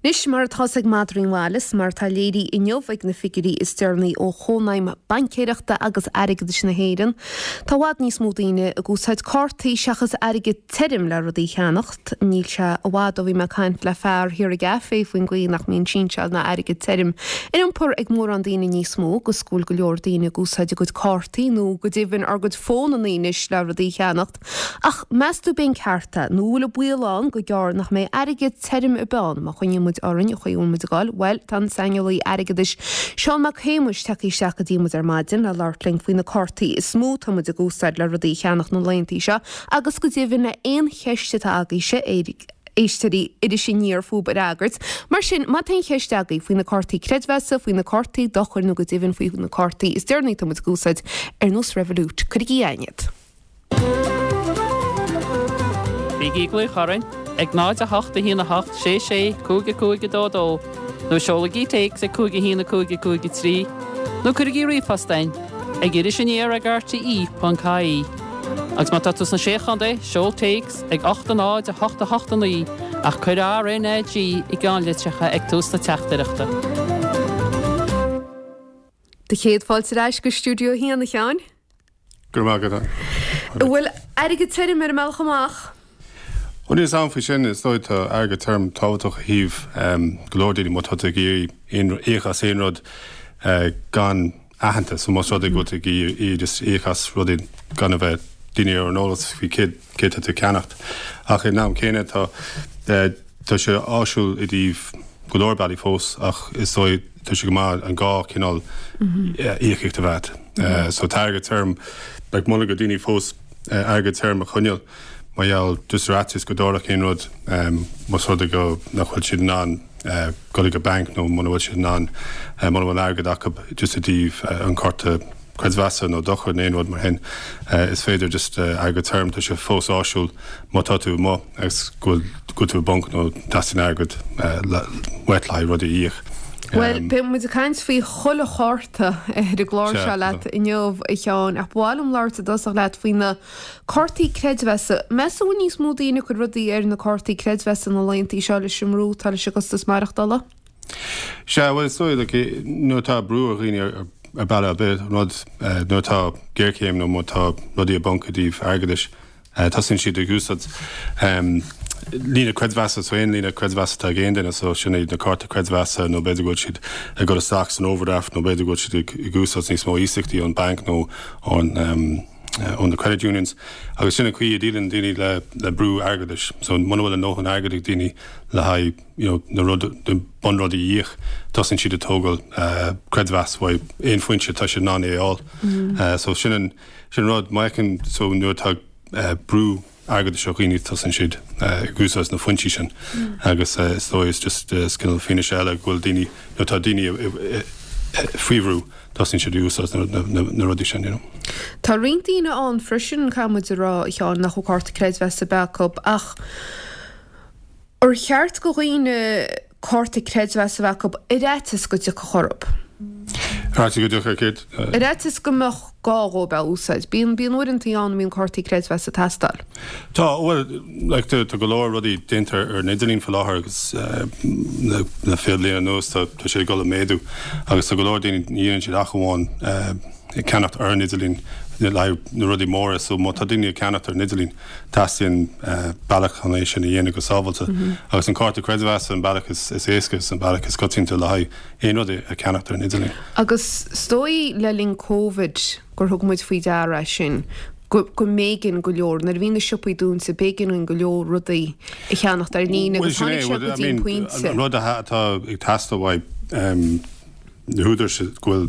Anois, mar atá 's ag madraí an bhaile 's mar atá léirithe inniu ag na figiúirí is deireanaí ó Chónaidhm Baincéireachta agus Airgeadais na hÉireann, tá i bhfad níos mó daoine ag úsáid cártaí seachas airgead tirim le rudaí a cheannacht. Níl sé i bhfad ó bhí mé ag caint le fear thiar i gcaifé faoin gcaoi nach mbíonn sínseáil ná airgead tirim in iompar ag mórán daoine níos mó agus go bhfuil go leor daoine ag úsáid a gcuid cártaí nó go deimhin ár gcuid fónanna anois le rudaí a cheannacht. Ach meas tú ab é an ceart é, nó an bhfuil an baol ann go gearr nach mbeidh airgead tirim ar bith ann má choinníonn muid orainn an chaoi a bhfuil muid ag dul? Bhuel, tá an saineolaí airgeadais Seán Mac Shéamuis tagtha isteach go dtí muid ar maidin le labhairt linn faoi na cártaí is mó atá muid ag úsáid le rudaí a cheannach na laethanta seo agus go deimhin le aon cheist atá agaibhse, éisteoirí Iris Aniar fúb a fhreagairt. Mar sin, má tá aon cheist agaibh faoi na cártaí creidmheasa, faoi na cártaí dochair nó go deimhin faoi na cártaí is deireanaí atá muid ag úsáid, ar nós Revolut, cuirigí chugainn iad. Bígí ag glaoch orainn ag 0 8 1 8 6 6 5 5 2 2 nó seolaigí téacs ag 5 1 5 5 3 nó cuirigí ríomhphost chugainn ag irisaniar ag rte.ie. Agus má tá tú sna Sé Chontae, seol téacs ag 8 0 8 8 9 ach cuir RNAG i gceannlitreacha ag tús na teachtaireachta. Do chéad fáilte ar ais go Stiúideo 1, a Sheáin. Go raibh maith agat. An bhfuil airgead tirim ar an mbealach amach? Bhuel, níl a fhios agam faoi sin. Is dóigh tá airgead tirim tábhachtach ó thaobh go leor daoine má tá tú ag iarraidh íoc as aon rud gan aitheantas. So más rud é go bhfuil tú ag iarraidh just íoc as rudaí gan a bheith daoine ar an eolas faoi céard céard tá tú ag ceannacht. Ach ag an am céanna tá tá sé áisiúil i dtaobh go leor bealaí fós ach is dóigh tá sé go maith an dhá chineál íocaíocht a bheith agat. So tá airgead tirim, like molaim do daoine fós airgead tirim a choinneáil mar gheall just ar fhaitíos go dtarlódh aon rud más rud é go nach bhfuil siad in ann dul ag an banc nó muna bhfuil siad in ann muna bhfuil airgead acu just i dtaobh an cárta creidmheasa nó dochar nó aon rud mar shin, is féidir just airgead tirim, tá sé fós áisiúil má tá tú amuigh agus go bhfuil tú i bponc nó teastaíonn airgead uait le haghaidh rudaí a íoc. Bhuel, beidh muid ag caint faoi chuile chárta ar an gclár seo leat inniu, a Sheáin, ach ba mhaith liom labhairt i dtosach leat faoi na cártaí creidmheasa. Meas tú an bhfuil níos mó daoine ag cur rudaí ar na cártaí creidmheasa na laethanta seo leis an mbrú atá leis an gcostas maireachtála? Sea, bhuel, is dóigh, like, nuair atá brú ar dhaoine ar bealach ar bith, rud, nuair atá géarchéim nó má tá rudaí i bponc i dtaobh airgeadais, tosaíonn siad ag úsáid líne creidmheasa, so aon líne creidmheasa atá ag aon duine, so sin iad na cártaí creidmheasa nó b'fhéidir go bhfuil siad ag dul isteach san overdraft nó b'fhéidir go bhfuil siad ag úsáid níos mó iasachtaí ón banc nó ón ó na credit unions agus sin an chaoi a ndíleann daoine le brú airgeadais. So muna bhfuil a ndóthain airgid ag daoine le haghaidh you know, na rud, na bunrudaí a íoc, tosaíonn siad ag tógáil creidmheas uaidh aon foinse atá siad in ann é a fháil. So sin an, sin an rud, má fheiceann, so nuair atá brú airgeadais ar dhaoine tosaíonn siad ag úsáid na foinsí sin agus is dóigh is just is cineál fianaise eile go bhfuil daoine, nuair atá daoine faoi bhrú tosaíonn siad ag úsáid na rudaí sin, you know. Tá roinnt daoine ann freisin, caithfidh muid a rá, a Sheáin, nach bhfuil cárta creidmheasa ar bith acu ach Ar cheart go dhaoine cárta creidmheasa a bheith acu ar fhaitíos go dtiocfadh orthu? Ar fhaitíos go dtiocfadh céard? Ar fhaitíos go mbeadh gá dhóibh é a úsáid. Bíonn, bíonn uaireantaí ann a mbíonn cártaí creidmheasa ag teastáil. Tá, bhuel, like, tá, tá go leor rudaí déanta ar an idirlíon faoi láthair agus le, le fiche bliain anuas tá, tá sé ag dul ag méadú agus tá go leor daoine, ní dhéanann siad ach amháin ag ceannacht ar an idirlíon le haghaidh na rudaí móra so má tá daoine ag ceannacht ar an idirlíon Teastaíonn bealach chun é sin a dhéanamh go sábháilte agus an cárta creidmheasa an bealach is éasca is an bealach is coitianta le haghaidh aon rud a cheannacht ar an idirlíon. Agus is dóigh le linn Covid gur thug muid faoi deara é sin, go go mb'éigean go leor, nuair a bhí na siopaí dúnta, b'éigean dúinn go leor rudaí a cheannacht ar líne agus tháinig sé go dtí an pointe. An rud atá ag teastáil uaidh na húdaráis go bhfuil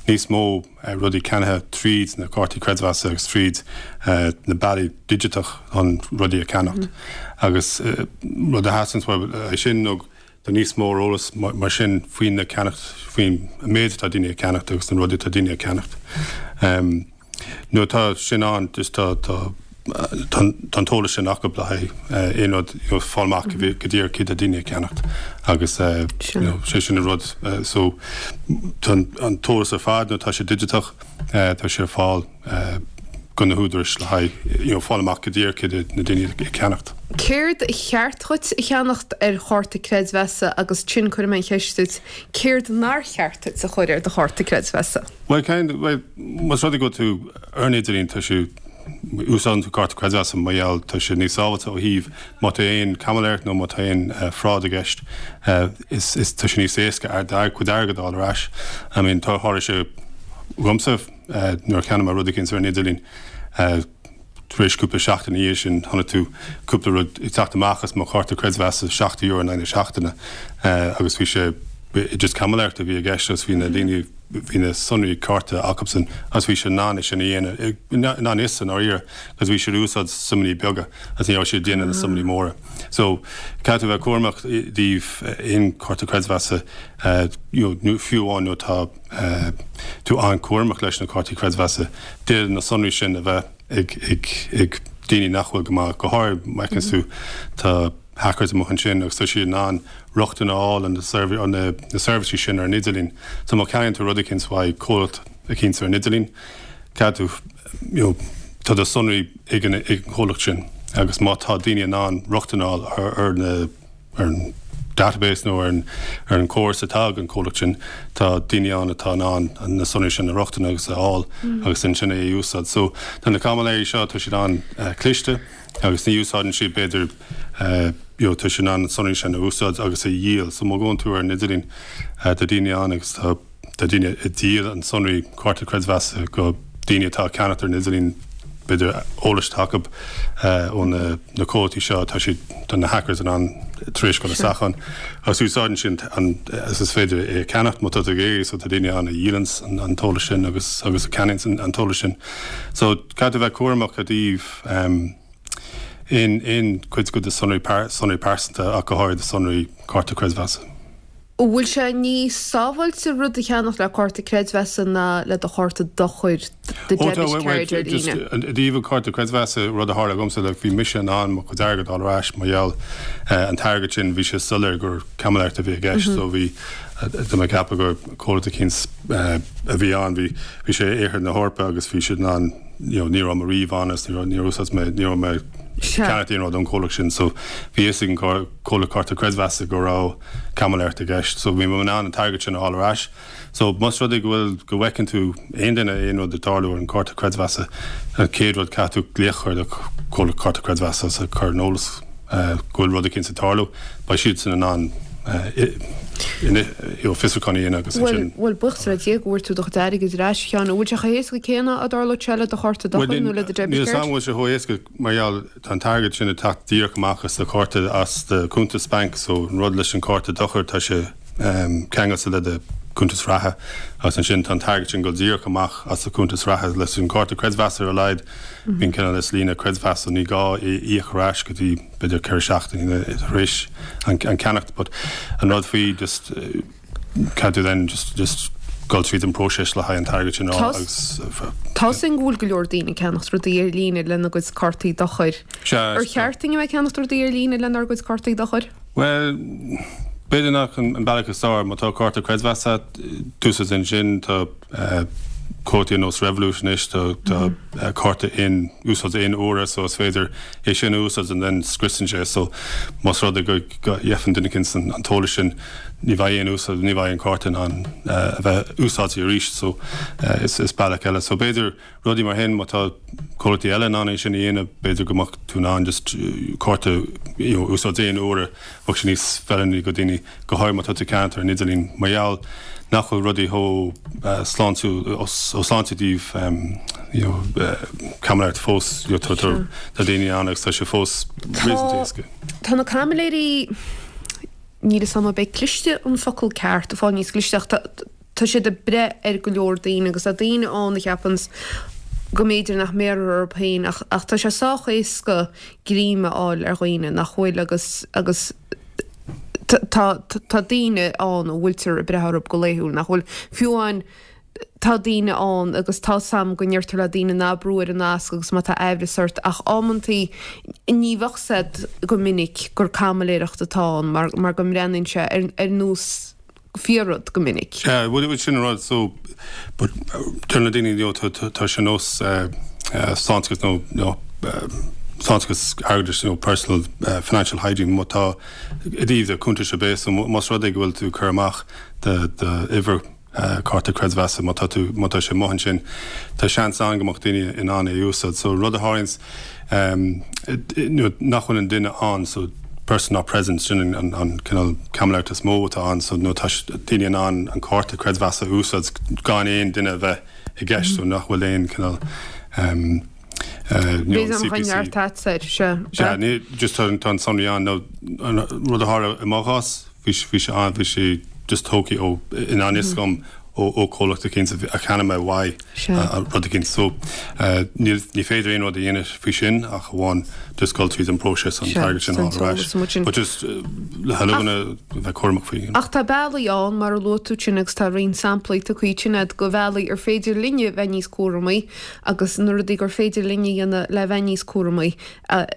níos mó rudaí ceannaithe tríd na cártaí creidmheasa agus tríd na bealaí digiteach chun rudaí a cheannacht. Agus rud a theastaíonn uaidh é sin nó tá níos mó eolas mar sin faoi na ceannacht, faoin méid atá daoine ag ceannacht agus na rudaí atá daoine ag ceannacht. Nuair atá sin ann, just tá, tá, tá an t-eolas sin acu le haghaidh aon rud, you know, fáil amach go díreach céard atá daoine ag ceannacht agus you know, sé sin an rud. So tá an t-eolas ar fad nuair atá sé digiteach, tá sé ar fáil. go na húdarais le haghaidh you know fáil amach go díreach cé na daoine ag ceannacht. Céard a cheart dhuit a cheannacht ar chárta creidmheasa agus ansin cuirfidh mé an cheist duit, céard nár cheart duit a chur ar do chárta creidmheasa? Bhuel, kind, bhuel, más rud é go bhfuil tú ar an idirlíon, tá sé, úsáideann tú cárta creidmheasa mar gheall tá sé níos sábháilte ó thaobh má tá aon caimiléireacht nó má tá aon fraud i gceist, is, is, tá sé níos éasca do chuid airgead a fháil ar ais. I mean, tá, tharla sé dhomsa, Nuair a cheannaigh mé rud eicínt ar an idirlíon, tar éis cúpla seachtain ina dhiaidh sin, chonaic tú cúpla rud ag teacht amach as mo chárta creidmheasa, €70 in aghaidh na seachtaine, agus bhí sé, just caimiléireacht a bhí i gceist agus bhí na daoine, bhí na sonraí cárta acubsan agus bhí siad in ann é sin a dhéanamh, i ngan fhios i ndáiríre, cos bhí siad ag úsáid suimeanna beaga agus ní raibh siad ag déanamh na suimeanna móra. So, caithfidh tú a bheith cúramach i dtaobh aon chárta creidmheasa, you know, fiú amháin nuair atá. tú an-chúramach leis na cártaí creidmheasa. D'fhéadfadh na sonraí sin a bheith ag daoine nach bhfuil go maith, go háirid má fheiceann tú tá hackers amuigh ansin agus tá siad in ann rochtain a fháil ar na seirbhísí sin ar an idirlíon. So má cheannaíonn tú rud eicínt uaidh comhlacht eicínt ar an idirlíon, caithfidh tú, you know, tá do sonraí ag an gcomhlacht sin agus má tá daoine in ann rochtain a fháil ar na ar an database nó ar an gcóras atá ag an comhlacht sin, tá daoine ann atá in ann na sonraí sin a rochtain agus a fháil agus ansin é a úsáid. So tá na caimiléirí seo, tá siad an-chliste agus ní úsáideann siad b'fhéidir you know tá siad in ann na sonraí sin a úsáid agus a dhíol. So má ghabhann tú ar an idirlíon tá daoine ann agus tá Tá daoine ag díol an sonraí cárta creidmheasa go daoine atá ag ceannacht ar an idirlíon, b'fhéidir eolas atá acu ó na comhlachtaí seo, tá siad, tá na hackers in ann tar éis dul isteach ann agus úsáideann siad an, agus is féidir é a cheannacht má tá tú ag iarraidh, so tá daoine ann a dhíolann an t-eolas sin agus agus a cheannaíonn an t-eolas sin. So caithfidh tú bheith cúramach i dtaobh aon aon chuid de do sonraí sonraí pearsanta ach go háirid do sonraí cárta creidmheasa. An bhfuil sé níos sábháilte rud a cheannach le cárta creidmheasa ná le do chárta dochair, do debit card ar líne? I dtaobh an cárta creidmheasa, rud a tharla dhomsa, like, bhí mise in ann mo chuid airgid a fháil ar ais mar gheall an t-airgead sin, bhí sé soiléir gur caimiléireacht a bhí i gceist so bhí, tá mé ag ceapadh gur comhlacht eicínt a bhí ann, bhí, bhí sé i Oirthear na hEorpa agus bhí siad in ann, you know, ní raibh mé riamh ann agus ní raibh, níor úsáid mé, ní raibh mé ag ceannacht aon rud ón comhlacht sin so bhí fhios ag an comhlacht cárta creidmheasa go raibh caimiléireacht i gceist. So bhí mé in ann an t-airgead sin a fháil ar ais. So más rud é go bhfuil, go bhfeiceann tú aon duine aon rud ag tarlú ar an cárta creidmheasa, an chéad rud caithfidh tú glaoch a chur ar do chomhlacht cárta creidmheasa agus a chur ar an eolas go bhfuil rud eicínt ag tarlú. Beidh siadsan in ann you know fiosrúchán a dhéanamh agus ansin. Bhuel, buíochas le Dia go bhfuair tú do chuid airgid ar ais, a Sheáin. An bhfuil sé chomh héasca céanna dá dtarlódh sé le do chárta dochair nó le do debit card? Níl 'fhios a'm an bhfuil sé chomh héasca mar gheall Tá an t-airgead sin ag teacht díreach amach as do chárta, as do chuntas bainc, so an rud leis an cárta dochair, tá sé ceangailte le do chuntas reatha agus ansin tá an t-airgead sin ag dul díreach amach as do chuntas reatha. Leis an cárta creidmheasa ar a laghad, bíonn cineál is líne creidmheasa, so ní gá é a íoc ar ais go dtí b'fhéidir 4 seachtainí tar éis an ceannacht. But an rud faoi just. Caithfidh tú then just just dul tríd an próiseas le haghaidh an t-airgead sin a fháil agus. Tá 'fhios a'inn go bhfuil go leor daoine ag ceannacht rudaí ar líne lena gcuid cártaí dochair. Sea. Ar cheart dúinn a bheith ag ceannacht rudaí ar líne lenár gcuid cártaí dochair? Bhuel, b'fhéidir nach an bealach is fearr. Má tá cárta creidmheasa agat, úsáid ansin, tá. Comhlachtaí ar nós Revolut anois, tá cárta aon úsáid aon uaire so is féidir é sin a úsáid and then scriosann sé so más rud é go bhfaigheann duine eicínt an t-eolas sin ní bheidh aon úsáid, ní bheidh an cárta in ann a bheith úsáidte arís so is bealach eile. So b'fhéidir rudaí mar sin má tá comhlachtaí eile in ann é sin a dhéanamh b'fhéidir go mbeadh tú in ann just cárta you know úsáid aon uaire bheadh sé níos feiliúnaí go daoine go háirithe má tá tú ag ceannacht ar an idirlíon, mar gheall nach bhfuil rudaí chomh sláintiúil ó sláinte i dtaobh you know caimiléireacht fós, you know tá tá daoine ann agus tá sé fós réasúnta éasca. Tá na caimiléirí, níl 'fhios a'm ab é cliste an focal ceart, ag fáil níos cliste ach tá Tá siad ag breith ar go leor daoine agus tá daoine ann a cheapanns go mb'fhéidir nach mbéarfar orthu féin ach ach tá sé sách éasca greim a fháil ar dhaoine nach bhfuil agus agus tá tá daoine ann a bhfuiltear ag breith orthu go laethúil nach bhfuil fiú amháin tá daoine ann agus tá 's a'm go ndeirtear le daoine ná brú ar an nasc agus má tá aimhreas ort ach amantaí ní bheadh 's a'd go minic gur caimiléireacht atá ann mar mar go mbreathnaíonn sé ar ar nós fíor-rud go minic. Sea, bhuel, sin an rud, so, but deir na daoine, you know, tá sé nós. sláinteachas nó nó sláinteachas airgeadais nó personal financial hygiene má tá i dtaobh do cuntais ar bith so más rud é go bhfuil tú ag cur amach do d'uimhir cárta creidmheasa má tá tú má tá sé amuigh ansin tá seans ann go mbeadh daoine in ann é a úsáid so rud a tharlaíonns nuair nach bhfuil an duine ann so person not present sin an an cineál caimiléireacht is mó atá ann so nuair tá daoine in ann an cárta creidmheasa a úsáid gan aon duine a bheith i gceist so nach bhfuil aon cineál Bhí an CPC. Sea, ní, just tá an sonraí ann nó an rud a tharla i mo chás, bhí bhí sé ann, bhí sé just tógtha ó, i ngan fhios dhom ó ó comhlacht eicínt a cheannaigh mé uaidh rud eicínt. So níl, ní féidir aon rud a dhéanamh faoi sin ach amháin just dul tríd an bpróiseas an t-airgead sin a fháil ar ais. But just le chuile dhuine a bheith cúramach faoi. Ach tá bealaí ann, mar a luaigh tú ansin agus tá roinnt samplaí tugtha ansin agat de bhealaí ar féidir linne bheith níos cúramaí agus na rudaí gur féidir linn a dhéanamh le bheith níos cúramaí,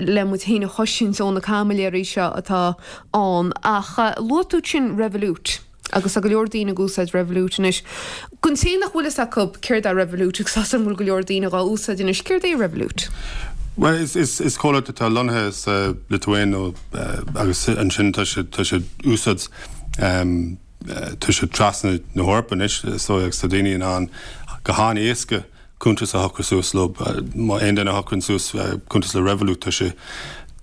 le muid féin a chosaint ó na caimiléirí seo atá ann. Ach luaigh tú ansin Revolut, agus tá go leor daoine ag úsáid Revolut anois. Don té nach bhfuil fhios acu céard é Revolut, agus tá 'fhios a'm go bhfuil go leor daoine dhá úsáid anois, céard é Revolut? Bhuel, is, is, is comhlacht atá lonnaithe sa Liotuáin nó, agus ansin tá sé, tá sé úsáid, tá sé trasna na hEorpa anois, is dóigh, agus tá daoine in ann go han-éasca cuntas a shocrú suas leo. Má aon duine a shocraíonn suas cuntas le Revolut, tá sé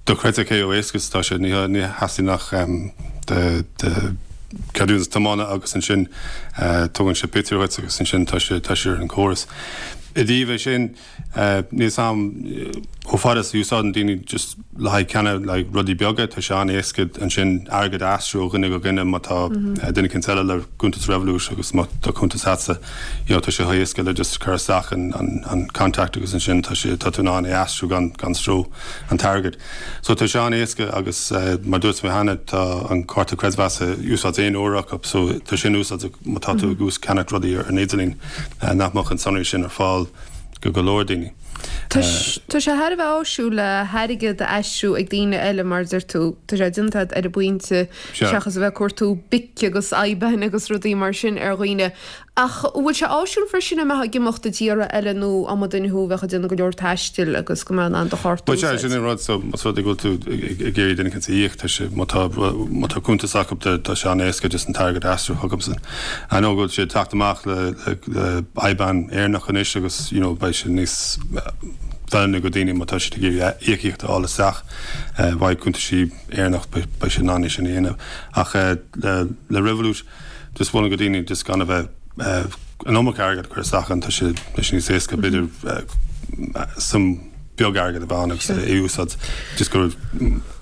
dochreidte cé chomh éasca is atá sé. Ní theastaíonn ach do cheadúnas tiomána agus ansin tugann sé pictiúr dhuit agus ansin tá sé tá sé ar an gcóras. I dtaobh é sin, Níl 'fhios a'm chomh fada is a úsáideann daoine just le haghaidh ceannach le haghaidh rudaí beaga, tá sé an-éasca ansin airgead a aistriú ó dhuine go dhuine má tá duine eicínt eile le cuntas Revolut agus má tá cuntas a'dsa you know tá sé chomh héasca le just cur isteach an an an contact agus ansin tá sé tá tú in ann é aistriú gan gan stró an t-airgead. So tá sé an-éasca agus mar dúirt mé cheana tá an cárta creidmheasa úsáid aon uair acu so tá sin úsáideach má tá tú ag ús ceannach rudaí ar an idirlíon nach mbeadh an sonraí sin ar fáil go go leor daoine. Tá sé thar a bheith áisiúil le hairgead a aistriú ag daoine eile mar a deir tú, tá sé déanta agat ar an bpointe seachas a bheith ag cuartú BIC agus IBAN agus rudaí mar sin ar dhaoine. Ach an bhfuil sé áisiúil freisin a mbeifeá ag imeacht i dtíortha eile nó dá mba duine thú a bheadh ag déanamh go leor taistil agus go mbeadh in ann do chárta a úsáid? Bhuel, sin an rud, so más rud é go bhfuil tú ag iarraidh duine eicínt a íoc, tá sé, má tá, má tá cuntas acu, tá sé an-éasca just an t-airgead a aistriú chucubsan. I know go bhfuil sé ag teacht amach le, le, le IBAN Éireannach anois agus, you know, beidh sé níos feiliúnaí go daoine má tá siad ag iarraidh íocaíocht a fháil isteach uaidh cuntaisí Éireannach, beidh, beidh siad in ann é sin a dhéanamh. Ach le, le Revolut, Just mholfainn go daoine just gan a bheith an iomarca airgead a chur isteach ann, tá sé tá sé níos éasca b'fhéidir suim beag airgead a bheith ann agus é a úsáid just go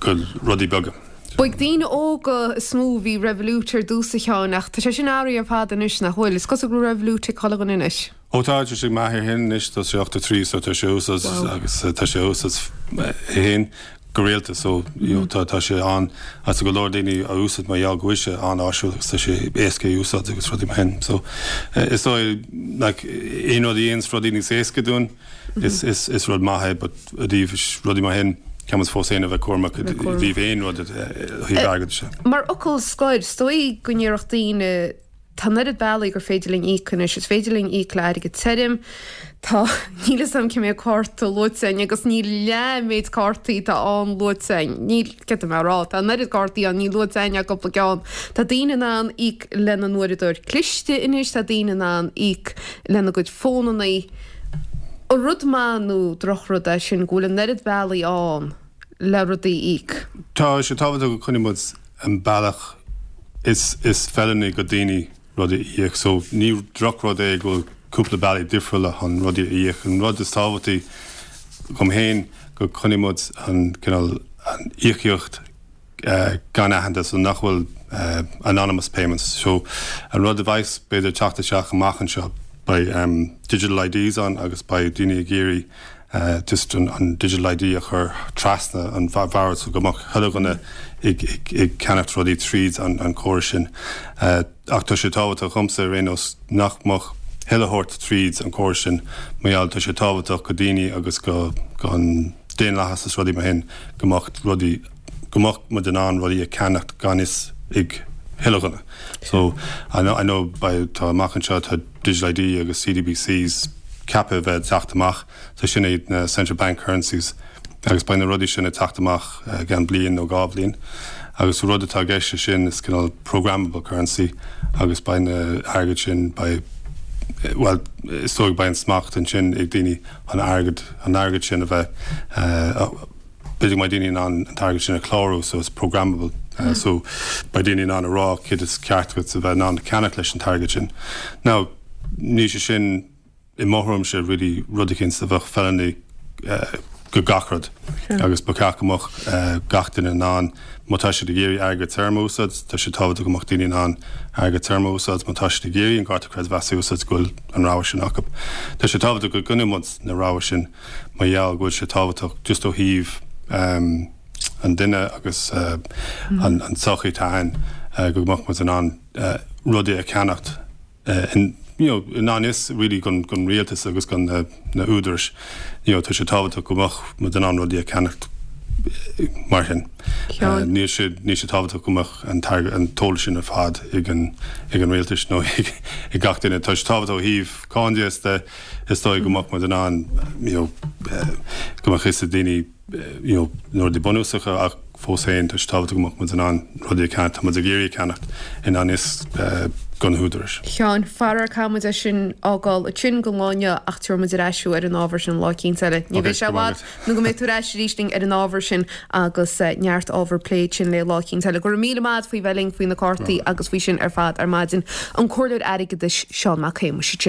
go rudaí beaga. Ba ag daoine óga is mó a bhí Revolut ar dtús a Sheáin ach tá sé sin athraithe ar fad anois nach bhfuil? Is cosúil go bhfuil Revolut ag chuile dhuine anois. Ó tá, tá sé ag m'athair féin anois, tá sé 83 so tá sé a úsáid agus tá sé a úsáid é féin go rialta so you know tá tá sé an agus tá go leor daoine á úsáid mar gheall go bhfuil sé an-áisiúil agus tá sé éasca a úsáid agus rudaí mar sin so is dóigh like aon rud a dhéananns rudaí níos éasca dúinn is is is rud maith é but i dtaobh rudaí mar sin caithfidh muid fós féin a bheith cúramach i dtaobh aon rud ó thaobh airgeadais de. Mar fhocal scoir, is dóigh go ndéarfadh daoine Tá an oiread bealaí gur féidir linn íoc anois. Is féidir linn íoc le airgead tirim. Tá, níl 'fhios a'm cé méad cárta luaite a'inn agus níl leath an méid cártaí atá ann luaite a'inn. Níl, céard tá mé a rá, tá an oiread cártaí ann, níl luaite a'inn ach cúpla ceann. Tá daoine in ann íoc lena n-uaireadóir cliste anois, tá daoine in ann íoc lena gcuid fónannaí. An rud maith nó drochrud é sin go bhfuil an oiread bealaí ann le rudaí a íoc? Tá sé tábhachtach go coinníonn muid an bealach is is feiliúnaí go daoine rudaí a íoc. So ní drochrud é go bhfuil cúpla bealaí difriúla chun rudaí a íoc. An rud is tábhachtaí dhom féin go coinníonn muid an cineál an íocaíocht gan aitheantas so nach bhfuil anonymous payments. So an rud a bheas b'fhéidir teacht isteach amach anseo beidh digital IDs ann agus beidh daoine ag iarraidh just an digital ID a chur trasna an bhord so go mbeadh chuile dhuine ag ceannacht rudaí tríd an córas sin. Ach tá sé tábhachtach dhomsa ar aon nós nach mbeadh chuile shórt tríd an córas sin mar gheall tá sé tábhachtach go daoine agus go an daonlathas is rudaí mar shin go mbeadh rudaí go mbeadh muid in ann rudaí a ceannacht gan fhios ag chuile dhuine. So I know I know by tá amach anseo tá digital ID agus CBDCs. ceaptha a bheith ag teacht amach. So sin iad na Central Bank Currencies agus beidh na rudaí sin ag teacht amach i gceann bliain nó dhá bhliain. Agus an rud atá i gceist leis sin is cineál programmable currency agus beidh na airgead sin, beidh, bhuel, is dóigh beidh an smacht ansin ag daoine an airgead, an airgead sin a bheith, b'fhéidir go mbeidh daoine in ann an t-airgead sin a chlárú so it's programmable so beidh daoine in ann a rá céard is ceart duit a bheith in ann a ceannach leis an t-airgead sin. Now, níl sé sin i mo thuairimse really rud eicínt a bheadh feiliúnaí go gach rud agus ba cheart go mbeadh gach duine in ann má tá siad ag iarraidh airgead tirim a úsáid, tá sé tábhachtach go mbeadh daoine in ann airgead tirim a úsáid, má tá siad ag iarraidh an cárta creidmheasa a úsáid go bhfuil an rogha sin acu. Tá sé tábhachtach go gcoinneoidh muid na rogha sin mar gheall go bhfuil sé tábhachtach just ó thaobh an duine agus an tsochaí atá ann go mbeadh muid in ann rudaí a cheannacht in you know i ngan fhios really gon gon rialtas agus gon na na údarais you know tá sé tábhachtach go mbeadh muid in ann rudaí a cheannacht mar sin. Níl sé níl sé tábhachtach go mbeadh an t-airgead an t-eolas sin ar fad ag an ag an rialtais nó ag ag gach duine. Tá sé tábhachtach ó thaobh cáin de is dóigh go mbeadh muid in ann you know go mbeadh fhios ag daoine you know na rudaí bunúsacha ach fós féin tá sé tábhachtach go mbeadh muid in ann rudaí a cheannacht, tá muid ag iarraidh a cheannacht i ngan fhios do na húdaráis. Sheáin, faraor caithfidh muid é sin a fhágáil ansin don lá inniu ach tabharfaidh muid ar ais thú ar an ábhar sin lá eicínt eile. Ní bheidh sé i bhfad nó go mbeidh tú ar ais arís linn ar an ábhar sin agus neart ábhar plé ansin le lá eicínt eile. Go raibh míle maith agat faoi bheith linn faoi na cártaí agus faoi sin ar fad ar maidin. An Comhairleoir Airgeadais, Seán Mac Shéamuis ansin.